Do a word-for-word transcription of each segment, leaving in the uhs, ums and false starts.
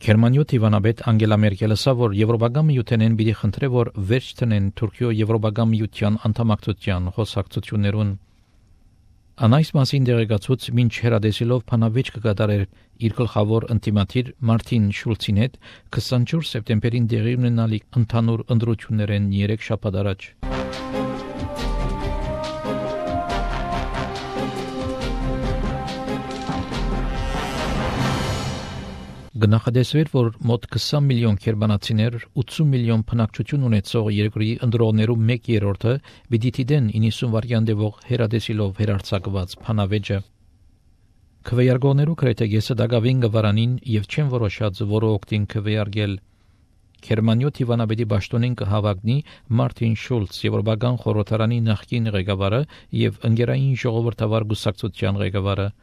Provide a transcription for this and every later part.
Գերմանիո Տիվանաբեդ Անգելա Մերկելը ասա, որ Եվրոպական միութենեն պիտի խնդրե, որ վերջ տնեն Թուրքիո Եվրոպական միության անդամակցության խոսակցություններուն։ Անայս մասին դեղեկացուց մինչ հերադեսիլով փանավեճ կկատարեր իր գլխավոր ընտիմատիր Մարտին Շուլցին հետ քսանչորս սեպտեմբերին դեղի ունենալիք ընդհանուր ընտրություններեն երեք շաբաթ առաջ։ Գնահատեսվեր, որ մոտ քսան միլիոն գերմանացիներ ութսուն միլիոն բնակչություն ունեցող երկրի ընտրողներու մեկ երրորդը պիտի դիտեն իննսուն վայրկյան հերադեսիլով հերարցակված փանավեճը։ Քվեարկողներու գրեթե կեսը դակավին գվարանին եւ չեն որոշած որը օգտին քվեարկել։ Գերմանիո Տիվանաբեդի պաշտոնին կհավագնի Մարտին Շուլց, Եվրոպական խորհրդարանի նախկին ղեկավարը եւ ընկերային ժողովրդավար գուսակցության ղեկավարը։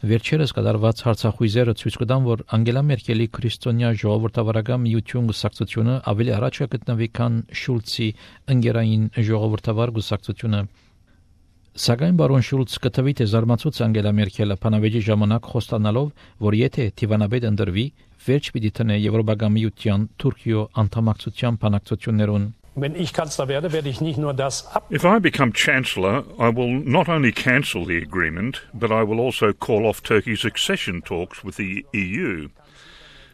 Վերջերս կատարված հարցախույզերը ցույց կտան, որ Անգելա Մերկելի քրիստոնյա ժողովրդավարական միություն գուսակցությունը ավելի առաջ է գտնվի, քան Շուլցի ընկերային ժողովրդավար գուսակցությունը։ Սակայն բարոն Շուլց կտվի թե զարմացուց Անգելա Մերկելը փանավեճի ժամանակ խոստանալով, որ եթե Տիվանաբեդ ընտրվի, վերջ պիտի տնե Եվրոպական միության Թուրքիո անդամակցության բանակցություններուն։ Wenn ich Kanzler werde, werde ich nicht nur das ab. If I become Chancellor, I will not only cancel the agreement, but I will also call off Turkey's accession talks with the E U.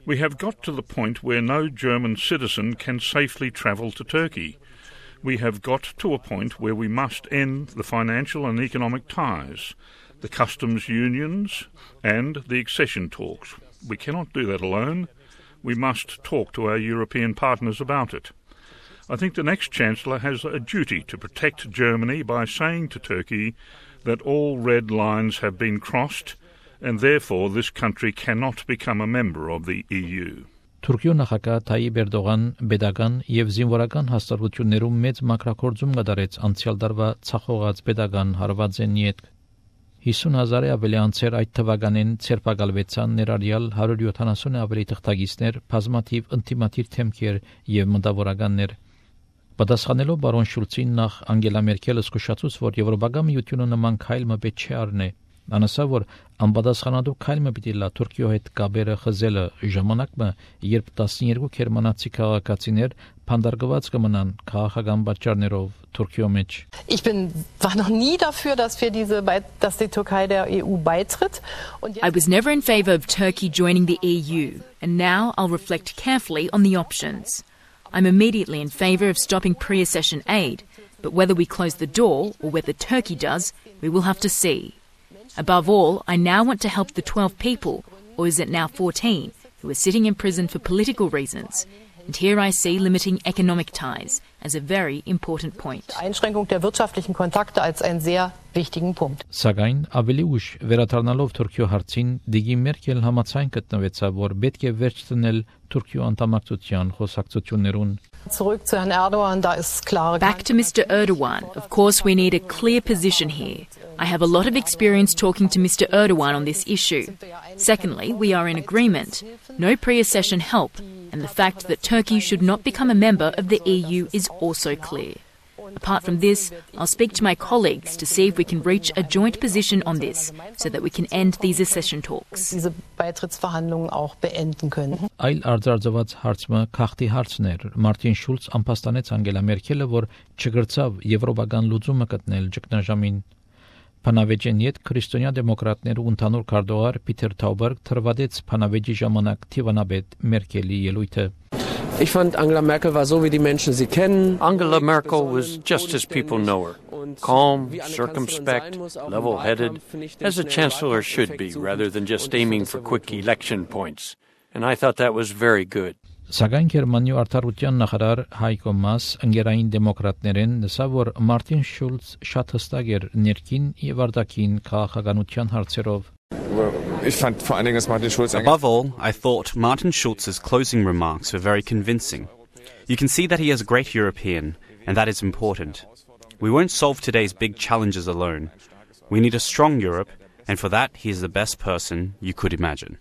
We have got to the point where no German citizen can safely travel to Turkey. We have got to a point where we must end the financial and economic ties, the customs unions, and the accession talks. We cannot do that alone. We must talk to our European partners about it. I think the next Chancellor has a duty to protect Germany by saying to Turkey that all red lines have been crossed and therefore this country cannot become a member of the E U. Թուրքիո նախագահ Թայիպ Էրդողան pedagogan եւ զինվորական հաստատություններում մեծ մակրակորձում կատարեց անցյալ տարվա ցախողած pedagogan հարվածեն յետ հիսուն հազարի ավելի անցեր այդ թվականին ցերպակալվեցան ներառյալ հարյուր յոթանասունի ավելի թղթակիցներ, բազմաթիվ ինտիմատիր թեմքեր եւ մտավորականներ։ Պատասխանելով բարոն Շուլցին նախ Անգելա Մերկելը զսկուշացուց, որ Եվրոպական միությունը նման քայլ մը պետք չէ առնե։ Անասա, որ անպատասխանատու քայլ մը պիտի լա Թուրքիո հետ կապերը խզելը ժամանակը, երբ տասնյոթ գերմանացի քաղաքացիներ փանդարգված կմնան քաղաքական պատճառներով Թուրքիո մեջ։ Ich bin war noch nie dafür, dass wir diese dass die Türkei der E U beitritt. I was never in favor of Turkey joining the E U, and now I'll reflect carefully on the options. I'm immediately in favour of stopping pre-accession aid, but whether we close the door or whether Turkey does, we will have to see. Above all, I now want to help the twelve people, or is it now fourteen, who are sitting in prison for political reasons. And here I see limiting economic ties as a very important point. Einschränkung der wirtschaftlichen Kontakte als einen sehr wichtigen Punkt. Սակայն ավելի ուշ վերադառնալով Թուրքիո հարցին Դիգի Մերկել համաձայն գտնվեցավ, որ պետք է վերջ տնել Թուրքիո անդամակցության խոսակցություններուն։ Zurück zu Herrn Erdogan, da ist klare. Back to Mister Erdogan. Of course, we need a clear position here. I have a lot of experience talking to Mister Erdogan on this issue. Secondly, we are in agreement. No pre-accession help, and the fact that Turkey should not become a member of the E U is also clear. Apart from this, I'll speak to my colleagues to see if we can reach a joint position on this so that we can end these accession talks. Diese Beitrittsverhandlungen auch beenden können. Այլ արձարծված հարցը քաղաքի հարցն էր։ Մարտին Շուլց անպաստանեց Անգելա Մերկելը, որ չգրծավ եվրոպական լուծումը գտնել ճգնաժամին։ Փանավեճեն յետ քրիստոնյա դեմոկրատներու ընդհանուր քարտուղար Պիտեր Թաուբերգ թրվադեց Փանավեճի ժամանակ Տիվանաբեդ Մերկելի ելույթը։ Ich fand Angela Merkel war so wie die Menschen sie kennen. Angela Merkel was just as people know her. Calm, circumspect, level-headed, as a chancellor should be, rather than just aiming for quick election points. And I thought that was very good. Սակայն Գերմանիո արտարության նախարար Հայկո Մաս ընկերային դեմոկրատներեն նշա, որ Մարտին Շուլց շատ հստակ էր ներքին եւ արտաքին քաղաքականության հարցերով։ Above all, I thought Martin Schulz's closing remarks were very convincing. You can see that he is a great European, and that is important. We won't solve today's big challenges alone. We need a strong Europe, and for that he is the best person you could imagine.